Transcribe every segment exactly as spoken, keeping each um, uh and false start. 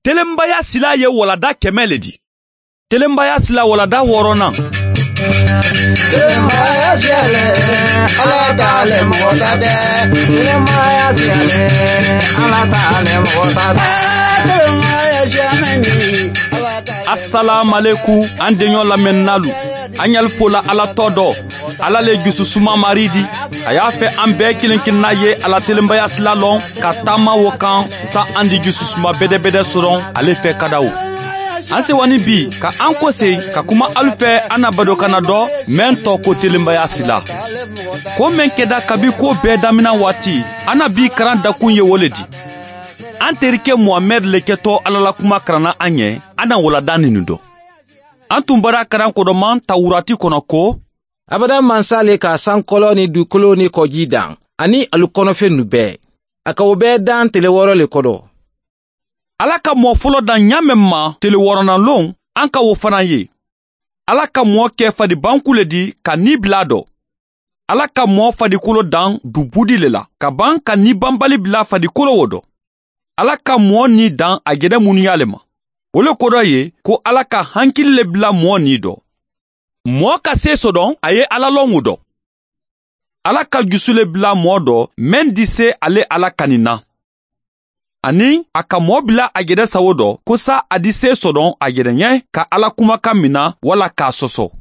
Telenbaya sila ye walada kɛmɛ le di. Telenbaya sila walada wɔɔrɔnan. Telenbaya sila le, ala ta le mɔgɔ ta tɛ. Telenbaya sila le, ala ta le mɔgɔ ta tɛ. Telenbaya sila ni, ala ta le. Asalaamalekum, an deɲɔ lamɛnnalu. An yali fola ala tɔ dɔ. Ala le jususuma mari di. A y'a fɛ an bɛɛ kelen kelenna ye a la telenbaya sila lɔn ka taama wo kan. Sa an di jususuma bɛdɛbɛdɛ sɔrɔ ale fɛ ka da o. An sewani bi ka an kose ka kuma alu fɛ an na badokana dɔ, mɛn tɔ ko telenbaya sila. Ko mɛn kɛda kabi ko bɛɛ damina waati, an na bi karan dakun ye wo le di. An terikɛ muhamɛd le kɛtɔ ala la kuma karanna an ɲɛ. An na walada ninu dɔ. An tun bara karan kodɔman tawurati kɔnɔ ko, abada mansa le ka sankɔlɔ ni dukolo ni kɔji dan, ani alu kɔnɔfennu bɛɛ. A ka wo bɛɛ dan tele wɔɔrɔ le kɔdɔ. Ala ka mɔɔ fɔlɔ dan ɲaamɛ ma tele wɔɔrɔnan lon, an ka wo fana ye. Ala ka mɔɔ kɛ fadibanku le di ka ni bila dɔ. Ala ka mɔɔ fadikolo dan du budi le la ka ban ka ni banbali bila fadikolo wo dɔ. Ala ka mɔɔ ni dan a jɛnɛ munuya le ma. Wo le kodɔ ye ko ala ka hankili le bila mɔɔ ni dɔ. Mɔɔ ka se sodɔn a ye ala lɔn wo dɔ. Ala ka jusu le bila mɔɔ dɔ mɛn di se ale ala kani na. Ani a ka mɔɔ bila a jɛnɛ sawo dɔ ko sa a di se sodɔn a jɛnɛ ɲɛ ka ala kumakan mina wala k'a sɔsɔ.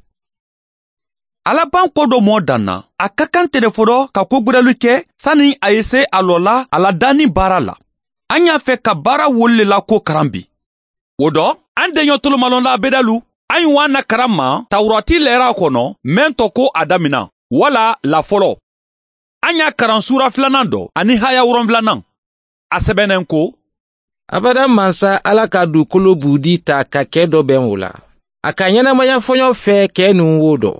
Ala ban ko dɔ mɔɔ dan na, a ka kan tele fɔlɔ ka kogwɛrɛlu kɛ sani a ye se a lɔ la a la danni baara la. An y'a fɛ ka baara wolu le la ko karan bi. Wo dɔ, an deɲɔ tolomalɔnla bedalu, an ye wa na karan ma tawurati lɛra kɔnɔ, mɛn tɔ ko a damina wala la fɔlɔ. An y'a karan suura filanan dɔ ani haya wolonwulanan. A sɛbɛnnen ko, abada mansa ala ka dukolo buudi ta ka kɛ dɔ bɛn wo la. A ka ɲɛnamaya fɔɲɔ fɛ kɛ nun wo dɔ.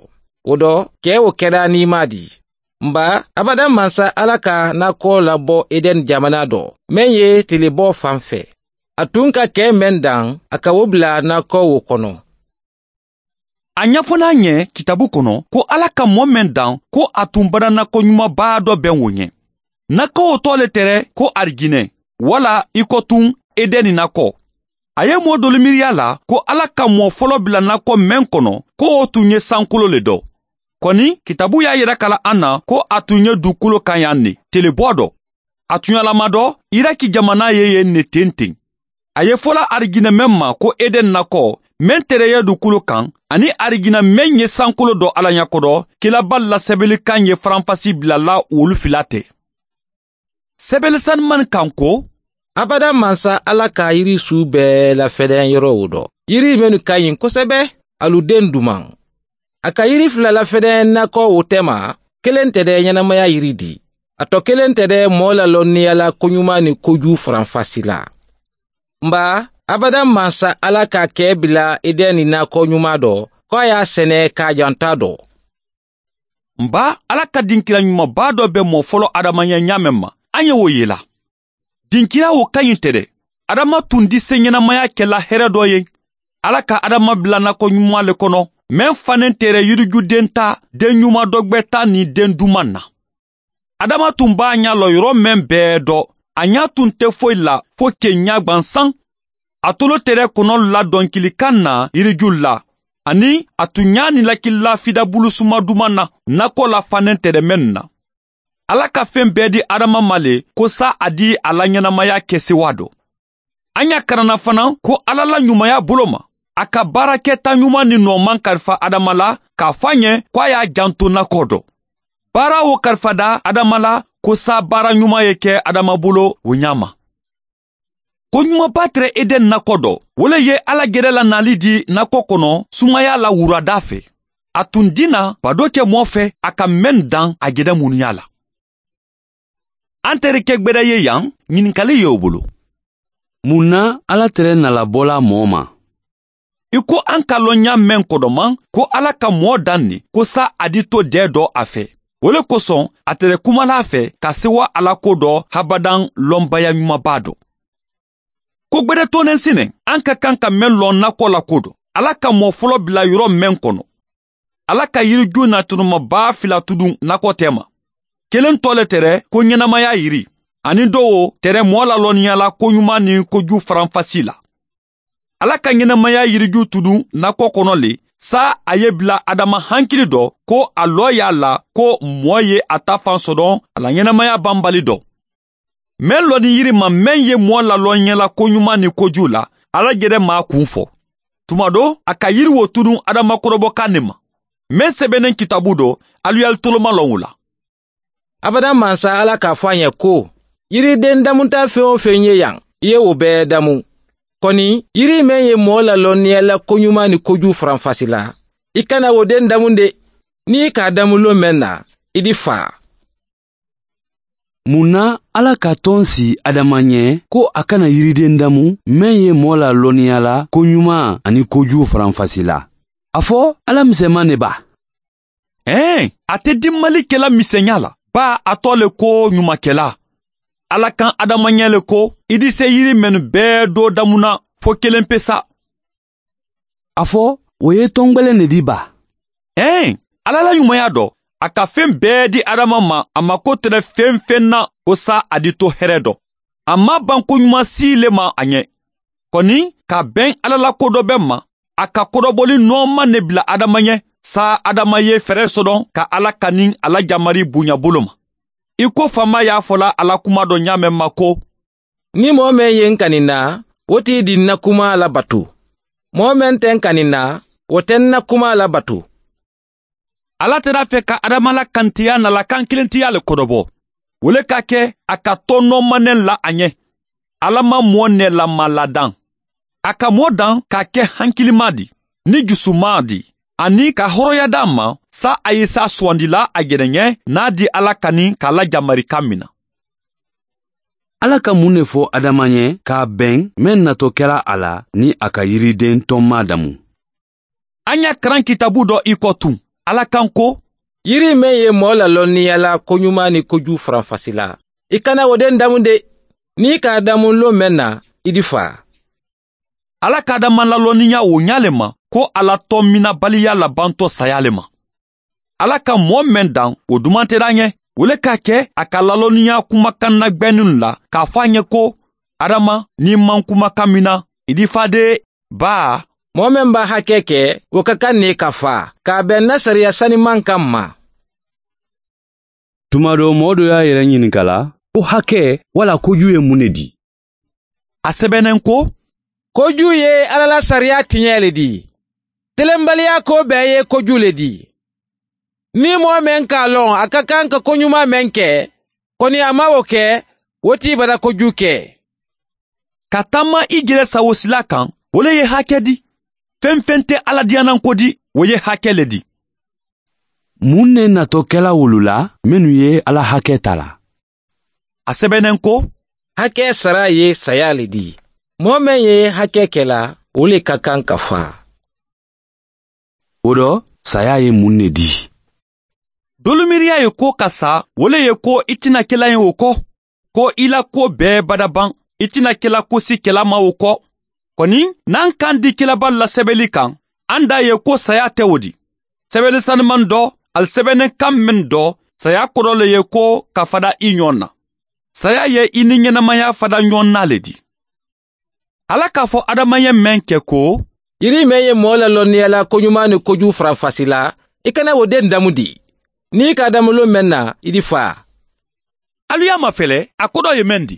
Wo dɔ, kɛ wo kɛda ni ma di. Nba, abada mansa ala ka nakɔ labɔ edɛn jamana dɔ, mɛn ye telebɔ fan fɛ. A tun ka kɛ mɛn dan, a ka wo bila nakɔ wo kɔnɔ. A ɲɛfɔna ɲɛ kitabu kɔnɔ ko ala ka mɔɔ mɛn dan ko a tun badanakɔ ɲumanba dɔ bɛn wo ɲɛ. Nakɔ wo tɔ le tɛrɛ ko arijinɛ, wala i kɔtun edɛni nakɔ. A ye mɔɔ dolu miiriya la ko ala ka mɔɔ fɔlɔ bila nakɔ mɛn kɔnɔ ko wo tun ye sankolo le dɔ. Kɔni kitabu y'a yira kala an na ko a tun ye dukolo kan yan ne telebɔ dɔ. A tuɲalama dɔ, iraki jamana ye yen ne ten ten. A ye fɔla arijinɛ mɛn ma ko edɛn nakɔ, mɛn tereye dukolo kan, ani arijinɛ mɛn ye sankolo dɔ ala ɲakodɔ. Kilaba lasɛbɛlikan ye faranfasi bilala wolu fila tɛ. Sɛbɛlisanimani kan ko, abada mansa ala ka yiri su bɛɛ lafɛdɛn yɔrɔ wo dɔ, yiri mennu ka ɲi kosɛbɛ, alu den duman. A ka yiri fila lafɛdɛn nakɔ wo tɛma, kelen tɛ dɛ ɲɛnamaya yiri di. A tɔ kelen tɛ dɛ mɔɔ lalɔnniya la koɲuman ni koju faranfasi la. Nba, abada mansa ala ka kɛ bila edɛni nakɔ ɲuman dɔ, ko a y'a sɛnɛ k'a janta dɔ. Nba, ala ka dinkira ɲumanba dɔ bɛ mɔɔ fɔlɔ adama ɲɛ ɲaamɛ ma, an ye wo ye la. Dinkira wo ka ɲi tɛ dɛ. Adama tun di se ɲɛnamaya kɛla hɛrɛ dɔ ye. Ala ka adama bila nakɔ ɲuman le kɔnɔ, mɛn fannen tɛrɛ yirijuden ta, den ɲuman dɔ gbɛ ta ni den duman na. Adama tun b'a ɲa lɔ yɔrɔ mɛn bɛɛ dɔ, a ɲa tun tɛ foyi la fo ke ɲa gwansan. A tolo tɛrɛ kɔnɔ la dɔnkilikan na yiriju la, ani a tun ɲa ni lakilila fidabulu suma duman na, nakɔ la fannen tɛrɛ mɛn na. Ala ka fen bɛɛ di adama ma le ko sa a di a la ɲɛnamaya kɛ sewa dɔ. An y'a karanna fana ko ala la ɲumanya bolo ma, a ka baarakɛta ɲuman ni nɔɔman kalifa adama la, k'a fɔ a ɲɛ ko a y'a janto nakɔ dɔ. Baara wo kalifada adama la ko sa baara ɲuman ye kɛ adama bolo wo ɲa ma. Ko ɲumanba tɛrɛ edɛn nakɔ dɔ, wo le ye ala gɛrɛ la nali di nakɔ kɔnɔ sumaya la wurada fɛ. A tun dinna bado kɛ mɔɔ fɛ a ka mɛn dan a gɛrɛ munuya la. An terikɛ gbɛrɛ ye yan, ɲininkali ye o bolo. Mun na ala tɛrɛ nalabɔla mɔɔ ma? I ko an ka lɔn ɲa mɛn kɔdɔman ko ala ka mɔɔ dan ne ko sa a di to dɛ dɔ a fɛ. Wo le kosɔn a tɛrɛ kumala a fɛ ka sewa ala ko dɔ habadan lɔnbaya ɲumanba dɔ. Ko gbɛdɛtɔnɛnsinɛ, an ka kan ka mɛn lɔn nakɔ la ko dɔ. Ala ka mɔɔ fɔlɔ bila yɔrɔ mɛn kɔnɔ, ala ka yiriju natunumaba fila tudun nakɔ tɛma. Kelen tɔ le tɛrɛ ko ɲɛnamaya yiri, ani dɔw tɛrɛ mɔɔ lalɔnniya la koɲuman ni koju faranfasi la. Alla ka ɲenamaya yiriju tudun nakoo kono le, saayiŋ a ye bila adama hankili do ko a looyaa la ko moo ye a ta faŋ sodoŋ a la ɲenamaya bambali do. Meŋ loni yiri ma meŋ ye moo laloo ɲa la koɲumaa niŋ kojuu la, alla jere maŋ a kuŋ fo. Tuma do a ka yiri wo tudun adama korobokaŋ ne ma meŋ sebeneŋ kitaabu do. Alu ye alu tolomaŋ loŋ wo la. Abada mansa alla ka a fo a ɲa ko, yirideŋ damuta feŋ-wo-feŋ ye yaŋ i ye wo bee damu. Koni yiri meŋ ye moo lalonniya la koɲumaa niŋ kojuu faranfasi la, i kana wo deŋ damu de. Niŋ i ka a damu loŋ meŋ na, i di faa. Mun na alla ka toŋ si adama ɲe ko a kana yirideŋ damu meŋ ye moo lalonniya la koɲumaa aniŋ kojuu faranfasi la? A fo alla misema ne ba? Ee, a te dimmali kela miseɲa la, baa a too le ko ɲumakela. Alla kaŋ adama ɲe le ko i di se yiri mennu bee doo damuna fo keleŋ pe sa. A fo wo ye tongbeleŋ ne di ba? Ee, alla la ɲumaya do a ka feŋ bee di adama ma a ma ko tere feŋ feŋ na wo sa a di to here do. A maŋ a baŋ koɲumaa sii le ma a ɲe. Koni ka a beŋ alla la kodobeŋ ma, a ka kodoboli noomaŋ ne bila adama ɲe. Saayiŋ adama ye fere sodoŋ ka alla kani a la jamari buɲabulu ma. I ko faama ye a fola a la kumaa do ɲaameŋ ma ko, niŋ moo meŋ ye n kani n na, wo ti di n na kumaa la batu. Moo meŋ te n kani n na, wo te n na kumaa la batu. Alla te daa fe ka adama la kantiyaa na la kankilentiyaa le kodobo. Wo le ka ke a ka too noomaneŋ la a ɲe. Alla maŋ moo nee la maŋ la daŋ. A ka moo daŋ ka a ke hankilimaa di, niŋ jusumaa di, aniŋ ka horoya daa ma. Saayiŋ a ye saa suwandi la a jeneɲe niŋ a di alla kani ka a la jamari kaŋ mina. Alla ka muŋ ne fo adama ɲe ka a beŋ meŋ nato kela a la niŋ a ka yirideŋ tonmaa damu? A ɲa karaŋ kitaabu do i ko tuŋ, alla kaŋ ko, yiri meŋ ye moo lalonniya la koɲumaa niŋ kojuu faranfasi la, i kana wo deŋ damu de. Niŋ i ka a damu loŋ meŋ na, i di faa. Alla ka adama lalonniya wo ɲaa le ma ko a la toominabaliya labantoo sayaa le ma. Alla ka moo meŋ daŋ wo dumanteraa ɲe, wo le ka a ke a ka lalonniya kumakaŋ nagbeninnu la ka a fo a ɲe ko, adama, niŋ i maŋ kumakaŋ mina, i di faa de. Baa, moo meŋ be a hakee ke, wo ka kaŋ ne ka faa ka a beŋ n na sariya sanimaŋ kaŋ ma. Tuma doo moo doo ye a yere ɲininka la ko hakee walla kojuu ye muŋ ne di? A sebeneŋ ko, kojuu ye alla la sariyaa tiñee le di. Telenbaliyaa koo bee ye kojuu le di. Niŋ moo meŋ ka a loŋ a ka kaŋ ka koɲumaa meŋ ke, koni a maŋ wo ke, wo ti i bata kojuu ke. Ka tamma i jele sawosilaa kaŋ, wo le ye hakee di. Feŋ-feŋ te alla diyananko di, wo ye hakee le di. Muŋ ne nato kela wolu la mennu ye alla hakee tara? A sebeneŋ ko, hakee saraa ye sayaa le di. Moo meŋ ye hakee kela, wo le ka kaŋ ka faa. Wo do, sayaa ye muŋ ne di? Doolu miiriyaa ye ko ka sa, wo le ye ko i ti na kela ñe wo ko, ko i la kuwo bee bada baŋ, i ti na kela kusi kela ma wo ko. Koni naŋ kaŋ di kelabaalu la sebeli kaŋ, aŋ daa ye ko sayaa te wo di. Sebeli sanimaŋ do, ali sebeneŋ kaŋ meŋ do, sayaa kodo le ye ko ka fada i ñoŋ na. Sayaa ye i niŋ ñenamaya fada ñoŋ na le di. Alla ka a fo adama ye meŋ ke ko, yiri meŋ ye moo lalonniya la koɲumaa niŋ kojuu faranfasi la, i kana wo deŋ damu di. Niŋ i ka a damu loŋ meŋ na, i di faa. Alu ye a mafele a kodoo ye meŋ di.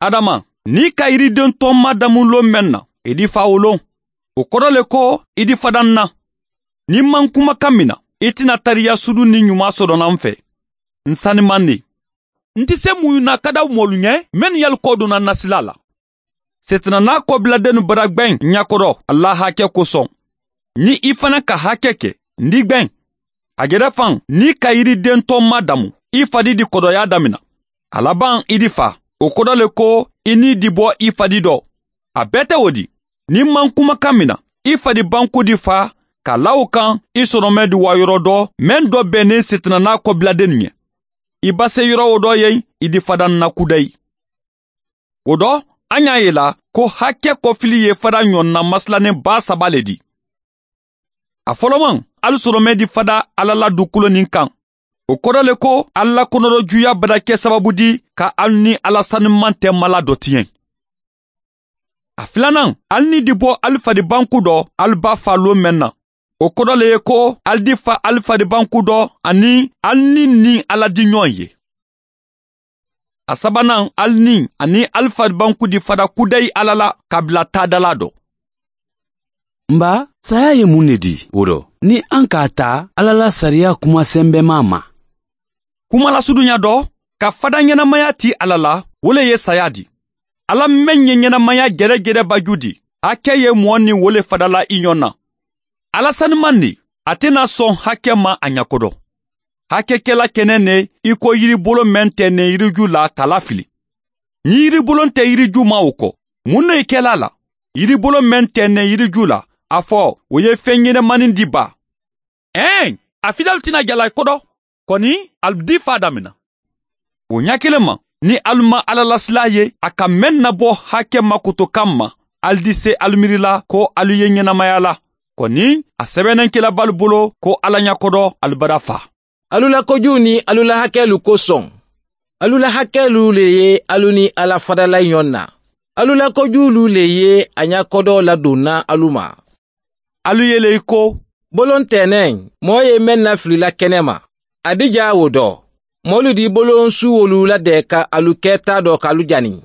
Adama, niŋ i ka yirideŋ tomaa damu loŋ meŋ na, i di faa wo loŋ. Wo kodo le ko, i di fada n na. Niŋ n maŋ kumakaŋ mina, i ti na tariya sudu niŋ ɲumaa sodo naŋ n fe. N sanimaŋ ne. N ti se muyu na kadaw moolu ñe mennu ye alu kodona n na silaa la. Setananaa kobiladennu bada gbeŋ ña kodo, ali la hakee kosoŋ. Niŋ i fanaa ka hakee ke, n di gbeŋ. A jere faŋ niŋ i ka yirideŋ tomaa damu, i fadi di kodoyaa damina. A labaŋ i di faa, wo kodo le ko, i niŋ i di bo i fadi do. A bee te wo di. Niŋ n maŋ kumakaŋ mina, i fadi banku di faa ka laa wo kaŋ, i sonomee di waayoroo do meŋ do be niŋ setananaa kobiladennu ñe. I base yoro wo do ye, i di fada n na kudayi. Wo do, a ñaa ye la ko hakee kofili ye fada ñoŋ na masilaniŋ baa saba le di. A folomaŋ, ali sonomee di fada alla la dukuloninkaŋ. Wo kodo le ko, alla la konodojuuyaa bada ke sabaabu di ka ali niŋ alla sanimaŋ te mala do tiyeŋ. A filanaŋ, ali ni di bo ali fadibanku dɔ ali baa faa loo meŋ na. Wo kodo le ye ko ali di fa ali fadibanku dɔ aniŋ ali niŋ niŋ alla di ñoŋ ye. A sabanaŋ, ali niŋ aniŋ ali fadibanku di fada kudayi alla la ka bila taadalaa do. N baa, saayaa ye muŋ ne dii wo do? Niŋ a ŋ ka a taa alla la sariyaa kuma sembemaa ma. Kumalasuduña do ka fada ñenamaya tii alla la, wo le ye saayaa dii. Alla meŋ ye ñenamaya gere-gere baju dii, hake ye moo niŋ wo le fada la i ñoŋ na. Alla sanimaŋ ne, a te naa soŋ hake ma a ñakodo. Hake ke la kene ne i ko yiribolo meŋ te ne yiriju la ka lafili. Niŋ yiribolo nte yiriju ma wo ko, muŋ ne i ke la a la? Yiribolo meŋ te ne yiriju la, a fo wo ye feŋ ñenemaniŋ di baa? Eeŋ, a fidalu ti naa jala i kodo. Koni, ali dii faa damina. Wo ñaakiliŋ ma, niŋ ali maŋ alla lasilaa ye a ka meŋ nabo hake ma kotokaŋ ma, ali di se ali miiri la ko ali ye ñenamaya la. Koni, a sebeneŋ kila baalu bolo ko alla ñakodo ali bada faa. Alu la kojuu niŋ alu la hakeelu kosoŋ, alu la hakeelu le ye alu niŋ alla fadala ñoŋ na. Alu la kojuulu le ye a ñakodoo laduŋ na alu ma. Alu ye le i ko, boloŋ teeneŋ, moo ye meŋ na filila kene ma, a dijaa wo do. Moolu di boloŋ suuwolu la de ka alu ke taa do ka alu jani.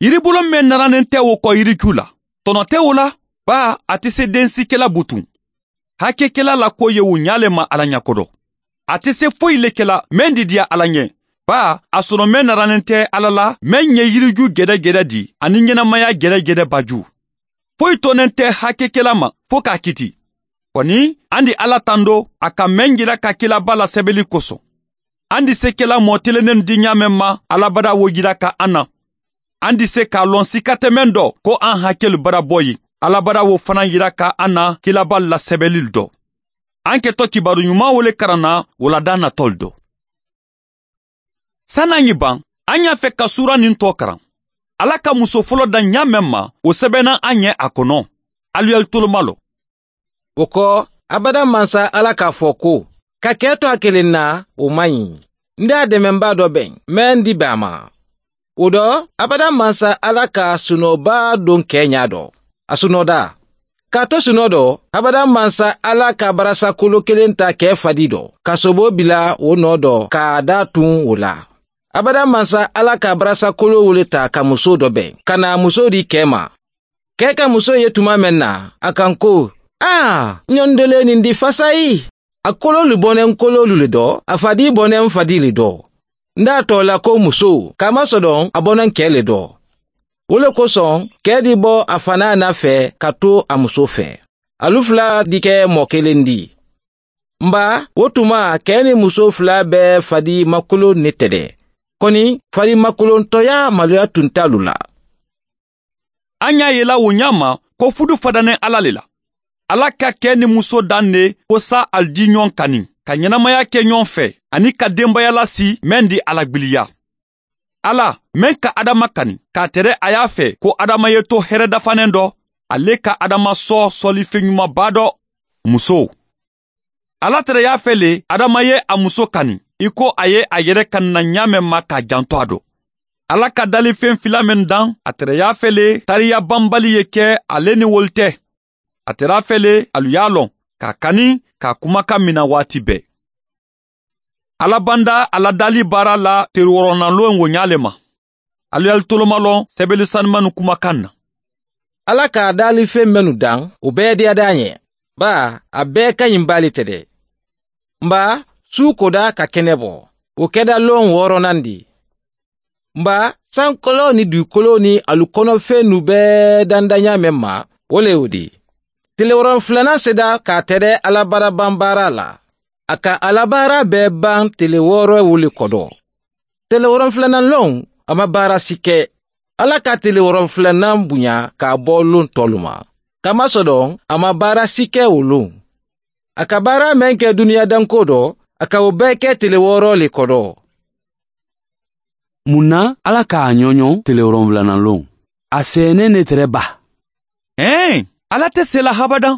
Yiriboloŋ meŋ naraneŋ te wo ko yiriju la, tono te wo la. Baa, a te se densi ke la butuŋ. Hake ke la la ko ye wo ñaa le ma alla ñakodo. A te se foyi le ke la meŋ didiya alla ñe. Baa, a sono meŋ naraneŋ te alla la meŋ ye yiriju gede-gede di aniŋ ñenamaya gede-gede baju. Foyi toneŋ te hake ke la ma fo ka a kiti. Koni, a ndi alla tando a ka meŋ jira ka kila baa la sebeli koso. A ndi se ke la moo telenenu di ñaa meŋ ma alla bada wo jira ka a na. A ndi se ka a loŋ sikate meŋ do ko a hakeelu bada boyi, alla bada wo fanaa yira ka a na kila baalu la sebelilu do. A ke to kibaaru ñumaa wo le karaŋ na wo la daa natolu do. Sani a ñiŋ baŋ, a ñaa fe ka suura niŋ too karaŋ. Alla ka musoo foloo daŋ ñaa meŋ ma, wo sebenaŋ a ñe a kono. Alu ye alu tolomaloo. Wo ko, abadaŋ mansa alla ka a fo ko, ka kee to a keleŋ na, wo maŋ ñi. N de a demenbaa do beŋ meŋ di be a ma. Wo do, abadaŋ mansa alla ka sunoo baa doŋ kee ñaa do, a sunoo daa. Ka a to sunoo do, abadaŋ mansa alla ka barasa kolo keleŋ taa kee fadii do ka soboo bila wo noo do ka a daa tuŋ wo la. Abadaŋ mansa alla ka barasa kolo wo le taa ka musoo do beŋ ka naa musoo dii kee ma. Kee ka musoo ye tumaa meŋ na, a ka ŋ ko, aa, ñoŋ dolee niŋ di fasayi. A koloolu boneŋ koloolu le do, a fadii boneŋ fadii le do. N de a too la ko musoo, kamasodoŋ a boneŋ kee le do. Wo le kosoŋ, kee di bo a fanaa na fee ka tu a musoo fee. Alu fula di ke moo keleŋ di. N baa, wo tuma kee niŋ musoo fula bee fadii makoloŋ ne te de. Koni, fadii makoloŋ toyaa maluya tunta alu la. A ñaa ye la wo ñaama, ko fudu fadaneŋ alla le la. Alla ka kee niŋ musoo daŋ ne ko saa ali di ñoŋ kaniŋ ka ñenamaya ke ñoŋ fee aniŋ ka dembayalasi meŋ di a la gbiliya. Alla, meŋ ka adama kani ka a tere a ye a fee ko adama ye to here dafaneŋ do, a le ka adama soo soolifeŋ ñuma baa do. Musoo, alla tere ye a fee le adama ye a musoo kani i ko a ye a yere kani na ñaameŋ ma ka a janto a do. Alla ka daalifeŋ filaa mennu daŋ, a tere ye a fee le taariya banbali ye ke a le niŋ wolu te. A tere a fee le alu ye a loŋ ka a kani ka a kumakaŋ mina waati bee. Alla banda a la daalii baara la teri woronanloŋ wo ñaa le ma. Alu ye alu tolomaloŋ sebeli sanimanu kumakaŋ na. Alla ka a daalifeŋ mennu daŋ, wo bee diyada a ñe. Baa, a bee kañiŋ baa le te de. N baa, suu kodaa ka kene bo, wo keda loŋ wooronandi. N baa, sankoloo niŋ duukoloo niŋ alu kono fennu bee danda ñaameŋ ma, wo le wo di. Tele woroŋ fulanaŋ seda ka a tere alla baara baŋ baara la. A ka alla baara bee baŋ tele wooro wo le kodo. Tele woroŋ fulanaŋ loŋ, a ma baara si ke. Alla ka tele woroŋ fulanaŋ buña ka a bo loŋ toolu ma. Kamasodoŋ, a ma baara si ke wo loŋ. A ka baara meŋ ke duniyaa dankoo do, a ka wo bee ke tele wooro le kodo. Muŋ na alla ka a ñoño tele woronwulanaŋ loŋ? A seene ne tere baa. Eeŋ, alla te seela habadaŋ.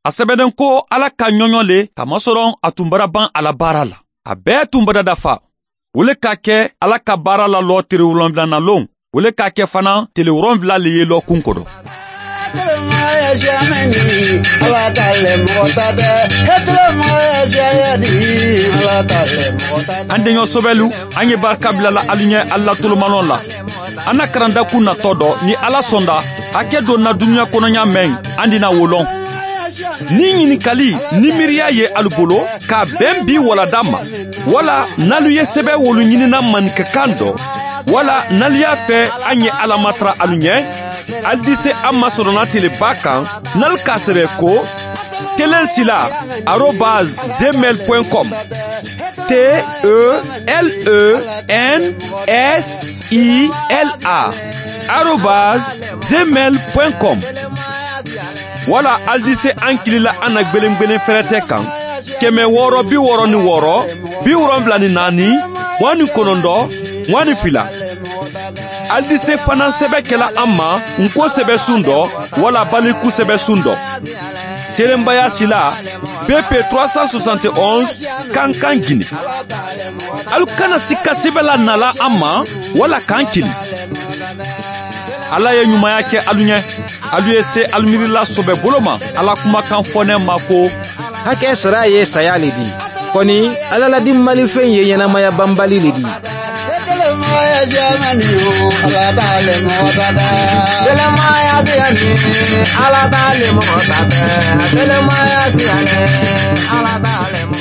A sebedeŋ ko alla ka ñoño le ka masoroŋ a tumbara baŋ a la baara la. A bee tumbara dafa. Wo le ka ke alla ka baara la loo tele woronwulanaŋ loŋ. wo le ka kɛ fana tile wolonwula le ye lɔkun kono. An deɲɔ sobɛlu, an ye barika bilala alu ɲɛ alu la tolomalɔn la. An na karandakun natɔ dɔ, ni Ala sɔnda, hakɛ don na dunuya kɔnɔɲa mɛn, an dina wo lɔn. Ni ɲininkali ni miiriya ye alu bolo, ka bɛn bi walada ma, wala n'alu ye sɛbɛn wolu ɲinina maninkakan dɔ, wala n'alu y'a fɛ an ye Ala matara alu ɲɛ, alu di se an ma sɔrɔna teleba kan, n'alu k'a sɛbɛn ko telen sila arobase gmail point com. T E L E N S I L A arobase gmail point com. Wala alu di se an kili la an na gbelengbelen fɛrɛtɛ kan, kɛmɛ wɔɔrɔ bi wɔɔrɔ ni wɔɔrɔ, bi wolonwula ni naani, mugan ni kɔnɔntɔn, mugan ni fila. Alu di se fana sɛbɛn kɛla an ma nko sɛbɛnsun dɔ, wala baliku sɛbɛnsun dɔ. Telenbaya sila, B P trois cent soixante et onze, Kankan Gine. Alu kana sika sɛbɛn la nala an ma, wala k'an kili. Ala ye ɲumanya kɛ alu ɲɛ. Alu ye se alu miirila sobɛ bolo ma, Ala kumakan fɔnɛ ma ko: Hakɛ sara ye saya le di. Kɔni, Ala la di malifɛn ye ɲɛnamaya banbali le di. Ala t'ale mɔgɔ ta dɛ. Gɛlɛnmaya di yan ni, Ala t'ale mɔgɔ ta dɛ. Gɛlɛnmaya di yan ni, Ala t'ale mɔgɔ